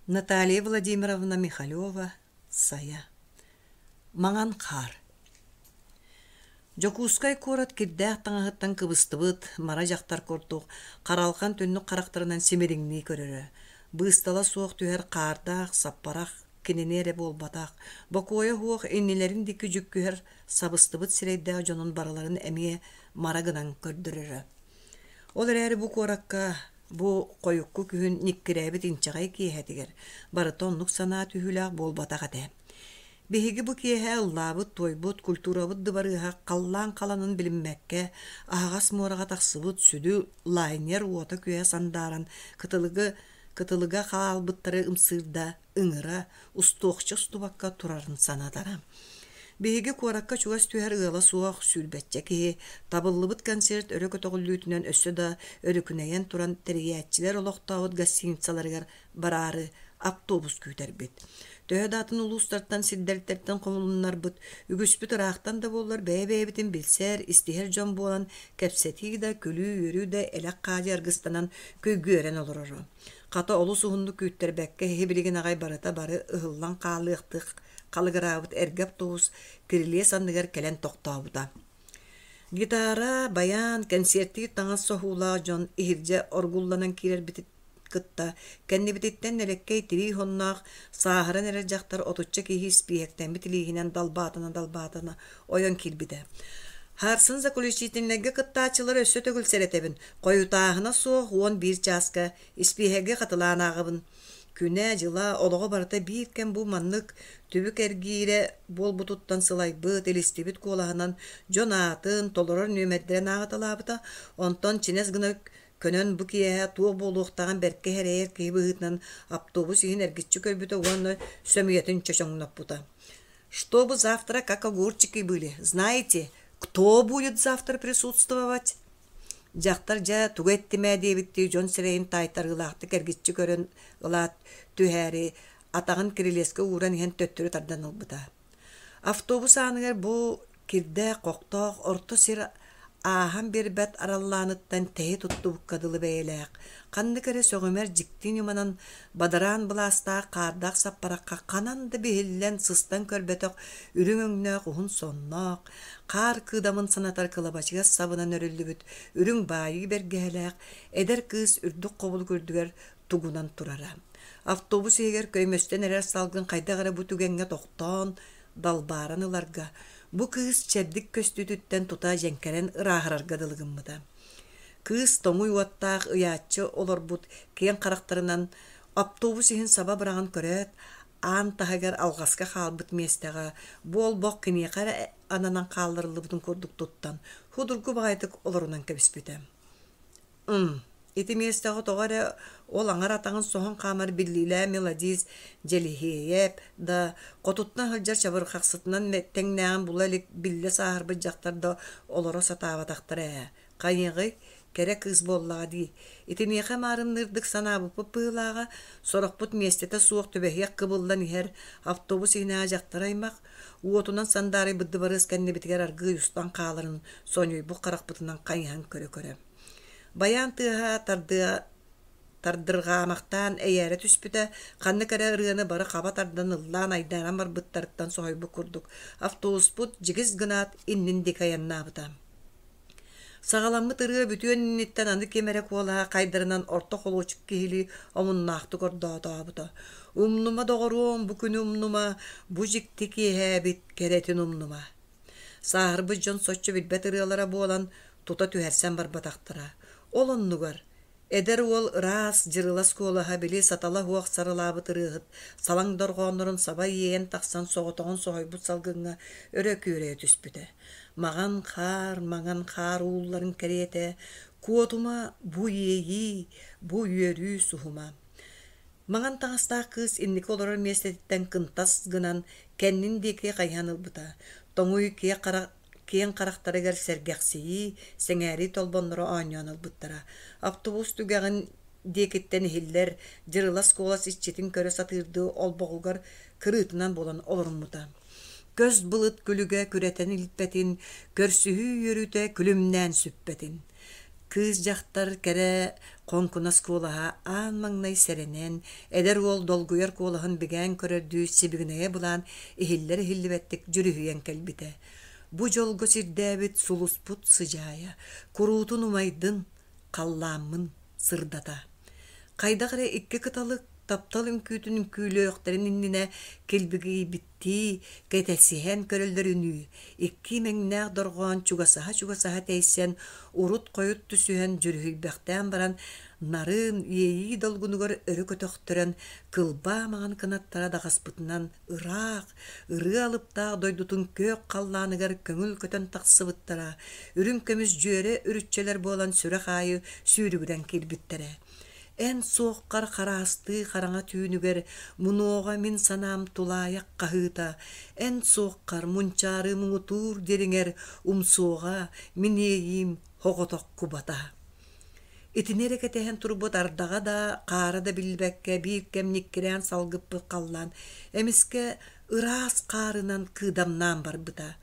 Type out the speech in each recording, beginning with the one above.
Наталья Владимировна Михалева «Сайа» Маҥан хаар Дьокуускай куорат кирдээх таҥаһыттан кыбыстыбыт мара дьахтар курдук харалҕан түннүк харахтарынан симириҥнии көрөрө. Быыстала суох түһэр хаардаах саппарах кинини эрэ буолбатах, бокуойа суох иннилэрин диэки дьүккүһэр сабыстыбыт сирэйдээх дьонун барыларын эмиэ мара гынан көрдөрөрө. Ол эрээри бу куоракка Бу хойукку күһүн ньиккирээбит инчэҕэй киэһэтигэр барыта оннук санаа түһүүлээх буолбатах этэ. Биһиги бу киэһэ ыллаабыт-туойбут культурабыт дыбарыаһа халлаан халанын билиммэккэ, аһаҕас муораҕа тахсыбыт сүдү лайнер уота-күөһэ сандааран кытылыгы кытылыга хаалбыттары ымсыырда ыҥыра, устуохча устубакка турарын санатара. Биһиги куоракка чугас түһэр ыала суох сүүрбэччэ киһи табыллыбыт концерт өрө көтөҕүллүүтүнэн өссө да өрүкүнэйэн туран тэрийээччилэр олохтообут гостиницаларыгар бараары автобус күүтэрбит. Төһө да атын улуустартан сирдэртэртэн хомулуннарбыт, үгүспүт ыраахтан да буоллар бэйэ-бэйэбитин билсэр, истиһэр дьон буолан кэпсэтии да, күлүү-үөрүү да элэх-хаадьы аргыстанан көйгүөрэн олороро. Хата олус уһуннук күүттэрбэккэ киһи билигин аҕай барыта бары ыһыллан хаалыахтык халыгыраабыт эргэ автобус кирилиэс анныгар кэлэн тохтообута. Гитара, байаан, кэнсиэртиир таҥас соһуулаах дьон иһирдьэ оргулланан киирэрбитин кытта кэннибититтэн нэлэккэй тирии хонноох сааһыран эрэр дьахтар отучча киһи испииһэктэммит илииһинэн далбаатана-далбаатана ойон киирбитэ. Харсын заключительнайга кыттааччылары өссө төгүл сэрэтэбин, хойутааһына суох 11 чааска испииһэги хатылаан ааҕабын. Күнэ-дьыла, олоҕо барыта биир кэм бу маннык түбүк эргиирэ буолбутуттан сылайбыт, илистибит куолаһынан дьон аатын, толорор нүөмэрдэрин ааҕыталаабыта, онтон чинэс гына көнөн бу киэһэ туох буолуохтааҕын бэркэ сэрэйэр киһи быһыытынан автобус иһин эргиччи көрбүтэ уонна сөмүйэтин чочоҥноппута. Чтобы завтра как огурчики были, знаете, кто будет завтра присутствовать? Дьахтар дьэ тугу эттим ээ диэбиттии дьон сирэйин таайтарыылаахтык эргиччи көрөн ылаат түһээри атаҕын кирилиэскэ ууран иһэн төттөрү тардан ылбыта. Автобус ааныгар бу кирдээх-хохтоох орто сир ааһан биэрбэт араллааныттан тэһи туттубукка дылы бэйэлээх, ханнык эрэ сөҕүмэр дьикти ньыманан бадараан былаастаах хаардаах саппарахха ханан да биһиллэн сыстан көрбөтөх үрүҥ өҥнөөх уһун сонноох, хаар кыыдамын санатар кылабачыгас сабынан өрүллүбүт үрүҥ баайыы бэргэһэлээх эдэр кыыс үрдүк хобулук үрдүгэр тугунан турара. Автобус иһигэр көймөстөн эрэр салгын хайдах эрэ бу түгэҥҥэ тохтоон, далбааран ыларга, бу кыыс чэбдик көстүүтүттэн тута дьэҥкэрэн ырааһырарга дылы гыммыта. Кыыс тоҥуй уоттаах ыйааччы олорбут киэҥ харахтарынан автобус иһин саба быраҕан көрөөт, аан таһыгар алҕаска хаалбыт миэстэҕэ бу олбох киниэхэ эрэ ананан хаалларыллыбытын курдук туттан, судургу баҕайытык олорунан кэбиспитэ. Ити миэстэҕэ тоҕо эрэ ол аҥар атаҕын соһон хаамар биллиилээх мелодист Дьэлиһиэйэп да, хотуттан сылдьар чабырҕахсытынан тэҥнээҕин була илик биллэ сааһырбыт дьахтар да олоро сатаабатахтара ээ. Хайыаҕый, кэрэ кыыс буоллаҕа дии. Итиниэхэ маарынныырдык санаабыппыт быһыылааҕа, сорохпут миэстэтэ суох түбэһиэх кыбыллан иһэр автобус иһинээҕи дьахтар аймах, уотунан сандаарыйбыт дыбарыас кэннибитигэр аргыый устан хааларын сонньуйбут харахпытынан хайыһан көрө-көрө. Байаан тыаһа тардыа тардырҕаамахтаан эйээрэ түспүтэ, ханнык эрэ ырыаны бары хаба тардан ыллаан айдааран барбыттарыттан соһуйбут курдук, автобуспут дьигис гынаат иннин диэки айаннаабыта. Саҕаламмыт ырыа бүтүөн инниттэн аны ким эрэ куолаһа хайдарынан орто холуочук киһилии омуннаахтык ордоотообута. «Умнума, доҕоруом, бу күнү умнума, бу дьикти киэһээбит кэрэтин умнума» Сааһырбыт дьон соччо билбэт ырыалара буолан, тута түһэрсэн барбатахтара. Ол оннугар эдэр уол ыраас, дьырылас куолаһа били сатала суох сарылаабыт ырыаһыт салаҥ дорҕооннорун саба иэйэн тахсан соҕотоҕун соһуйбут салгыҥҥа өрө күөрэйэ түспүтэ. Маҕан хаар, маҥан хаар уулларын кэриэтэ, куотума бу иэйии, бу үөрүү суһума. Маҥан таҥастаах кыыс инники олорор миэстэтиттэн кынтас гынан кэннин диэки хайыһан ылбыта. Тоҥуй киэҥ харахтарыгар сэргэхсийии, сэҥээрии толбонноро оонньоон ылбыттара. Автобус түгэҕин диэкиттэн иһиллэр дьырылас куолас иччитин көрө сатыырдыы олбоҕугар кырыытынан буолан олоруммута. Көс былыт күлүгэ күрэтэн илпэтин, көрсүһүү үөрүүтэ күлүмнээн сүппэтин. Кыыс дьахтар кэрэ хоҥкунас куолаһа аан маҥнай сэрэнэн, эдэр уол долгуйар куолаһын бигээн көрөрдүү сибигинэйэ былаан иһиллэр-иһиллибэттик дьүрүһүйэн кэлбитэ. Бу дьолго сирдээбит сулуспут сыдьаайа, куруутун умайдын, халлааммын сырдата. Хайдах эрэ икки кыталык таптал үҥкүүтүн үҥкүүлүөхтэрин иннинэ килбигийбиттии, кэтэсиһэн көрөллөрүнүү, икки имэҥнээх дорҕоон чугасаһа-чугасаһа тэйсэн, урут-хойут түсүһэн дьүрүһүйбэхтээн баран, нарын, иэйии долгунугар өрө көтөхтөрөн, кылбаа маҥан кынаттара даҕаспытынан ыраах, ырыа алыптаах дойдутун күөх халлааныгар көҥүл көтөн тахсыбыттара, үрүҥ көмүс дьүөрэ үрүччэлэр буолан сүрэх аайы сүүрүгүрэн киирбиттэрэ. Эн суоххар хараастыы хараҥа түүнүгэр мунуоҕа мин санаам тулаайах хаһыыта, эн суоххар мунчаарыы муҥутуур дириҥэр умсуоҕа мин иэйиим оҕотох кубата. Итини эрэ кэтэһэн турбут ардаҕа да, хаара да биллибэккэ биир кэм ньиккирээн салгыппыт халлаан эмискэ ыраас хаарынан кыыдамнаан барбыта.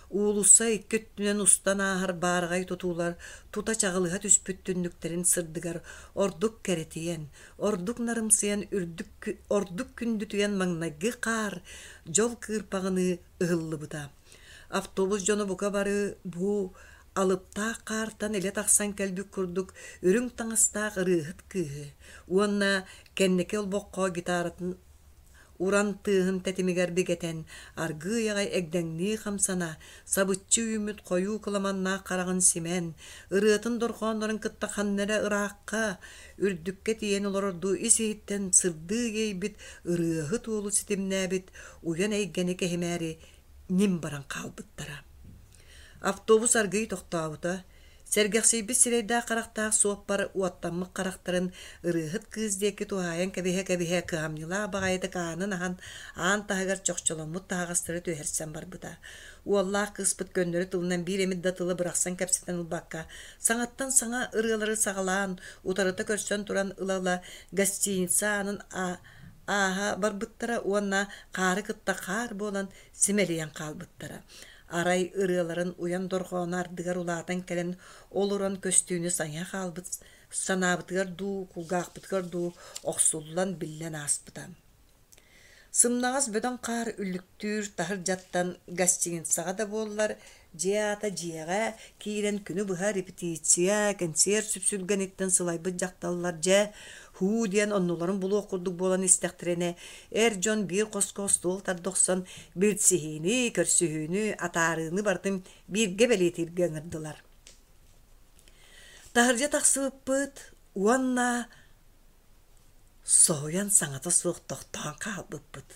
Уулусса икки өттүнэн устан ааһар баараҕай тутуулар тута чаҕылыһа түспүт түннүктэрин сырдыгар ордук кэрэтийэн, ордук нарымсыйан үрдүк, ордук күндүтүйэн маҥнайгы хаар дьол кыырпаҕыныы ыһыллыбыта. Автобус дьоно бука бары бу алыптаах хаартан илэ тахсан кэлбит курдук үрүҥ таҥастаах ырыаһыт кыыһы уонна кэнники олбоххо гитаратын уран тыаһын тэтимигэр бигэтэн, аргыый аҕай эгдэҥнии хамсана, сабыччы үүммүт хойуу кыламаннаах хараҕын симэн, ырыатын дорҕооннорун кытта ханна эрэ ыраахха, үрдүккэ тиийэн олорордуу ис-иһиттэн сырдыы иэйбит ырыаһыт уолу ситимнээбит уйан эйгэни кэһимээри ньим баран хаалбыттара. Автобус аргыый тохтообута, сэргэхсийбит сирэйдээх-харахтаах суоппар уоттаммыт харахтарын ырыаһыт кыыс диэки туһаайан кэбиһэ-кэбиһэ кыһамньылаах баҕайытык аанын аһан, аан таһыгар чохчоломмут таһаҕастары түһэрсэн барбыта. Уоллаах кыыспыт көннөрү тылынан биир эмит да тылы бырахсан кэпсэтэн ылбакка, саҥаттан саҥа ырыалары саҕалаан, утарыта көрсөн туран ыла-ыла гостиница аанын ааһа барбыттара уонна хаары кытта хаар буолан симэлийэн хаалбыттара. Арай ырыаларын уйан дорҕооно ардыгар улаатан кэлэн олорон көстүүнү сайа хаалбыт санаабытыгар дуу, кулгаахпытыгар дуу охсуллан биллэн ааспыта. Сымнаҕас бөдөҥ хаар үллүктүүр таһырдьаттан гостиницаҕа да буоллар, дьиэ аата дьиэҕэ киирэн күнү быһа репетиция, кэнсиэр сүпсүлгэниттэн сылайбыт дьахталлар дьэ һуу диэн оннуларын булуох курдук буолан истэхтэринэ, эр дьон биир хоско остуол тарда охсон билсиһиини, көрсүһүүнү, атаарыыны барытын бииргэ бэлиэтииргэ ыҥырдылар. Таһырдьа тахсыбыппыт уонна соһуйан саҥата суох тохтоон хаалбыппыт.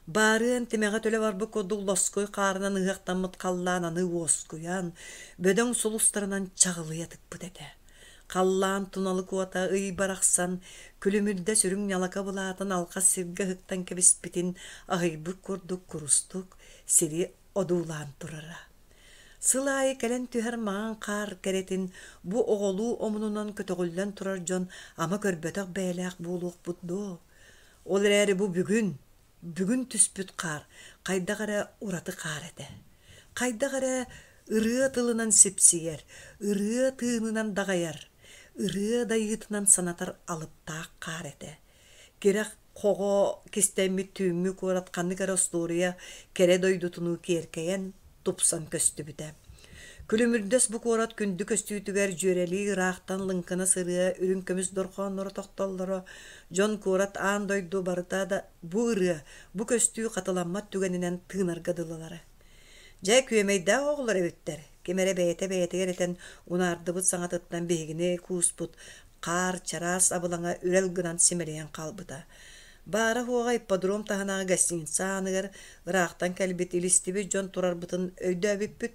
Баарыан тимэҕэ төлө барбыт курдук лоскуй хаарынан ыһыахтаммыт халлаан аны уоскуйан, бөдөҥ сулустарынан чаҕылыйа тыкпыт этэ. Халлаан туналык уота ый барахсан күлүмүрдэ сүрүҥ ньалака былаатын алҕас сиргэ ыһыктан кэбиспитин аһыйбыт курдук курустук сири одуулаан турара. Сыл аайы кэлэн түһэр маҥан хаар кэрэтин бу оҕолуу омунунан көтөҕүллэн турар дьон ама көрбөтөх бэйэлээх буолуохпут дуо? Ол эрээри бу бүгүн, бүгүн түспүт хаар хайдах эрэ ураты хаар этэ. Хайдах эрэ ырыа тылынан сипсийэр, ырыа тыынынан даҕайар, ырыа дайыытынан санатар алыптаах хаар этэ. Кирэх хоҕо кистэммит түүҥҥү куорат ханнык эрэ остуоруйа кэрэ дойдутунуу киэркэйэн, тупсан көстүбүтэ. Күлүмүрдэс бу куорат күндү көстүүтүгэр дьүөрэлии ыраахтан лыҥкынас ырыа үрүҥ көмүс дорҕоонноро тохтоллоро, дьон куорат аан дойду барыта да бу ырыа, бу көстүү хатыламмат түгэнинэн тыынарга дылылара. Дьэ, күөмэйдээх оҕолор эбиттэр, ким эрэ бэйэтэ бэйэтигэр этэн унаардыбыт саҥатыттан биһигини кууспут хаар чараас абылаҥа үрэл гынан симэлийэн хаалбыта. Баара-суоҕа ипподром таһынааҕы гостиница ааныгар ыраахтан кэлбит илистибит дьон турарбытын өйдөөбүппүт.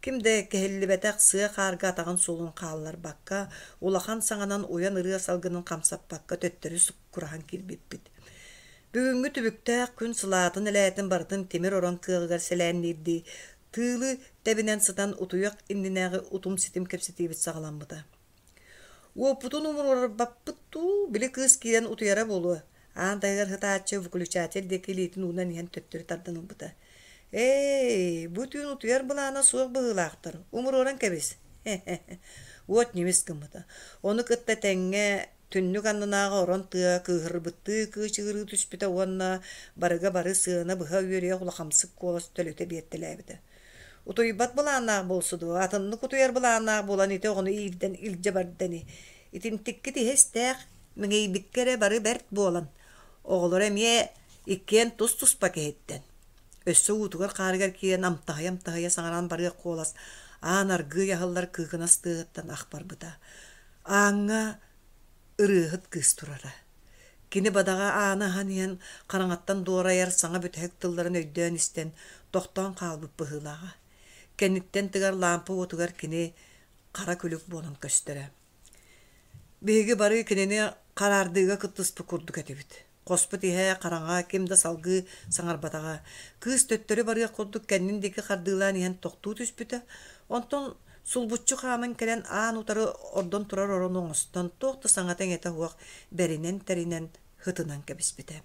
Ким да кэһиллибэтэх сыа хаарга атаҕын суолун хаалларбакка, улахан саҥанан уйан ырыа салгынын хамсаппакка төттөрү суккураһан киирбиппит. Бүгүҥҥү түбүктээх күн сылаатын-элээтин барытын тимир орон кыаҕыгар сэлээнниирдии тыылы тэбинэн сытан утуйах иннинээҕи утум-ситим кэпсэтиибит саҕаламмыта. Уоппутун умуруорбаппыт дуу, били кыыс киирэн утуйара буолуо, аан таһыгар сытааччы выключатель диэки илиитин уунан иһэн төттөрү тардан ылбыта. Ээй, бу түүн утуйар былаана суох быһыылаахтар, умуруоран кэбис. Уот ньимис гыммыта. Ону кытта тэҥҥэ түннүк аннынааҕы орон тыа кыыһырбыттыы кыычыгырыы түспүтэ уонна барыга бары сыана быһа үөрүйэх улахамсык куолас төлүтэ биэртэлээбитэ. Утуйбат былааннаах буолсу дуо, атыннык утуйар былааннаах буолан ити оҕону иирдэн илдьэ барда ини. Итинтиккит иһэ истээх, мэҥийбиккэ эрэ бары бэрт буолан, оҕолоро эмиэ иккиэн тус-туспа киһиттэн. Өссө уутугар-хаарыгар киирэн амтаһыйа-амтаһыйа саҥаран барыах куолас аан аргыый аһыллар кыыкынас тыаһыттан ах барбыта. Ааҥҥа ырыаһыт кыыс турара. Кини бадаҕа ааны аһан иһэн хараҥаттан дуорайар саҥа бүтэһик тылларын өйдөөн истэн тохтоон хаалбыт быһыылааҕа. Кэнниттэн тыгар лаампа уотугар кини хара күлүк буолан көстөрө. Биһиги бары кинини хараардыыга кыттыспыт курдук этибит. Хоспут иһэ хараҥа, ким да салгыы саҥарбатаҕа. Кыыс төттөрү барыах курдук кэннин диэки хардыылаан иһэн тохтуу түспүтэ. Онтон сулбуччу хааман кэлэн аан утары ордон турар орону оҥостон, туох да саҥата-иҥэтэ суох бэринэн-тэринэн һытынан кэбиспитэ.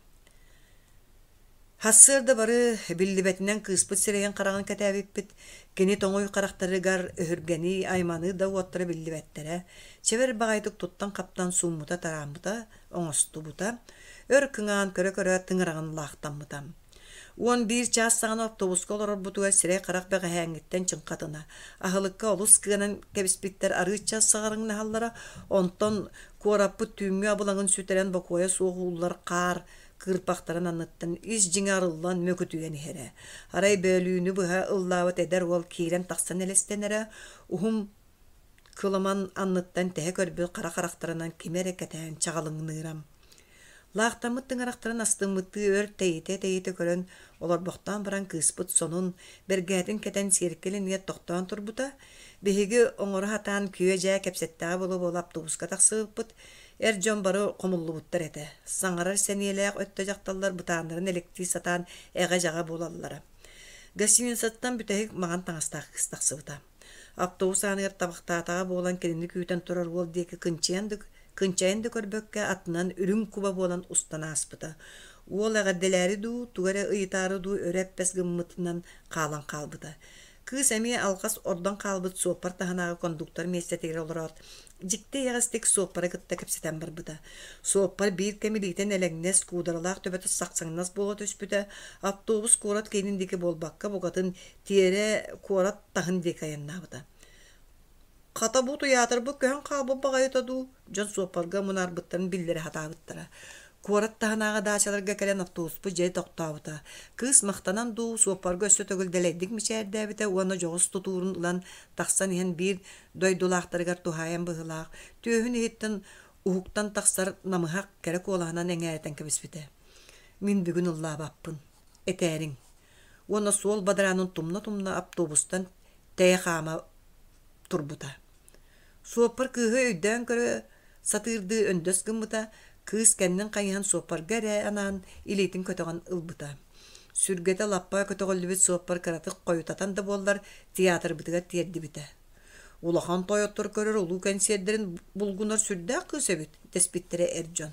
Сарсыарда бары биллибэтинэн кыыспыт сирэйин-хараҕын кэтээбиппит, кини тоҥуй харахтарыгар өһүргэнии, айманыы да уоттара биллибэттэрэ, чэбэр баҕайытык туттан-хаптан сууммута-тарааммыта, оҥостубута, өр кыҥаан көрө-көрө тыҥыраҕын лаахтаммыта. 11 чаас саҕана автобуска олорорбутугар сирэй-харах бэҕэһээҥҥиттэн чыҥхатына, аһылыкка олус кыанан кэбиспиттэр арыычча саҕарыҥнаһаллара, онтон куораппыт түүҥҥү абылаҥын сүтэрэн бокуойа суох ууллар хаар кыырпахтарын анныттан ис дьиҥэ арыллан мөкүтүйэн иһэрэ. Арай бөөлүүнү быһа ыллаабыт эдэр уол киирэн-тахсан элэстэнэрэ, уһун кыламан анныттан тэһэ көрбүт хара харахтарынан кими эрэ кэтээн чаҕылыҥныыра. Лаахтаммыт тыҥырахтарын астыммыттыы өр тэйитэ-тэйитэ көрөн олорбохтоон баран кыыспыт сонун, бэргэһэтин кэтэн сиэркилэ иннигэр тохтоон турбута. Биһиги оҥоро сатаан күө-дьаа кэпсэттэҕэ буола-буола автобуска тахсыбыппыт. Эр дьон бары хомуллубуттар этэ. Саҥарар сэниэлээх өттө дьахталлар бытааннарын элэктии сатаан эҕэ-дьаҕа буолаллара. Гостиницаттан бүтэһик маҥан таҥастаах кыыс тахсыбыта. Автобус ааныгар табахтаатаҕа буолан кинини күүтэн турар уол диэки кынчыйан да, кынчайан да көрбөккө атынан үрүҥ куба буолан устан ааспыта. Уол эҕэрдэлээри дуу, тугу эрэ ыйытаары дуу өрө эппэс гыммытынан хаалан хаалбыта. Кыыс эмиэ алҕас ордон хаалбыт суоппар таһынааҕы кондуктор миэстэтигэр олороот, дьикти эйэҕэстик суоппары кытта кэпсэтэн барбыта. Суоппар биир кэм илиитин элэҥнэс, куударалаах төбөтө сахсаҥнас буола түспүтэ, автобус куорат киинин диэки буолбакка, букатын тиэрэ куорат таһын диэки айаннаабыта. Хата бу тыйаатырбыт көһөн хаалбыт баҕайыта дуу, дьон суоппарга мунаарбыттарын биллэрэ сатаабыттара. Куорат таһынааҕы даачаларга кэлэн автобуспут дьэ тохтообута. Кыыс махтанан дуу, суоппарга өссө төгүл дэлэйдик мичээрдээбитэ уонна дьоҕус тутуурун ылан тахсан иһэн биир дойдулаахтарыгар туһаайан быһыылаах, түөһүн иһиттэн уһуктан тахсар намыһах кэрэ куолаһынан эҥээритэн кэбиспитэ. Мин бүгүн ыллаабаппын, этээриҥ. Уонна суол бадараанын тумна-тумна автобустан тэйэ хаама турбута. Суоппар кыыһы өйдөөн көрө сатыырдыы өндөс гыммыта, кыыс кэннин хайыһан суоппарга эрэ анаан илиитин көтөҕөн ылбыта. Сүргэтэ лаппа көтөҕүллүбүт суоппар кыратык хойутатан да буоллар театрбытыгар тиэрдибитэ. Улахан тойоттор көрөр улуу кэнсиэрдэрин булгунар сүрдээх кыыс эбит дэспиттэрэ эр дьон.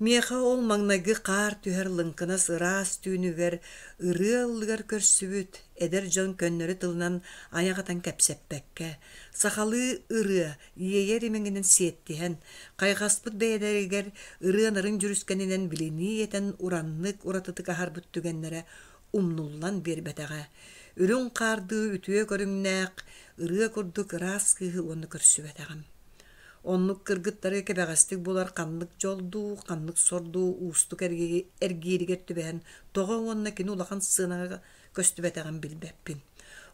Миэхэ ол маҥнайгы хаар түһэр лыҥкынас ыраас түүнүгэр ырыа ыллыгар көрсүбүт эдэр дьон көннөрү тылынан айах атан кэпсэппэккэ, сахалыы ырыа иэйэр имэҥинэн сиэттиһэн, хайҕаспыт бэйэлэригэр ырыа нарын дьүрүскэнинэн билинии этэн ураннык уратытык аһарбыт түгэннэрэ умнуллан биэрбэтэҕэ. Үрүҥ хаардыы үтүө көрүҥнээх ырыа курдук ыраас кыыһы уонна көрсүбэтэҕим. Оннук кыргыттары кэбэҕэстик булар ханнык дьол дуу, ханнык сор дуу уустук эргииригэр түбэһэн тоҕо уонна кини улахан сыанаҕа көстүбэтэҕин билбэппин.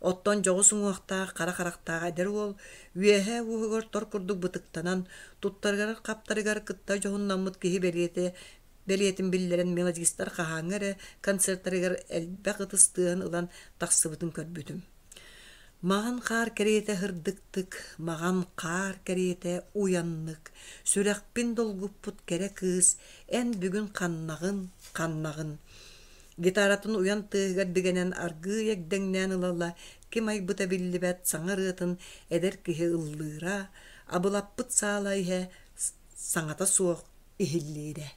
Оттон дьоҕус уҥуохтаах, хара харахтаах эдэр уол үөһээ уоһугар тор курдук бытыктанан, туттарыгар-хаптарыгар кытта дьоһуннаммыт киһи бэлиэтэ бэлиэтин биллэрэн мелодистар хаһааҥҥы эрэ концертарыгар элбэх ытыс тыаһын ылан тахсыбытын көрбүтүм. Маҕан хаар кэриэтэ сырдыктык, маҕан хаар кэриэтэ уйаннык, сүрэхпин долгуппут кэрэ кыыс, эн бүгүн ханнаҕын, ханнаҕын? Гитаратын уйан тыаһыгар бигэнэн аргыый эгдэҥнээн ыла-ыла ким айбыта биллибэт саҥа ырыатын эдэр киһи ыллыыра, абылаппыт саала иһэ саҥата суох иһиллиирэ.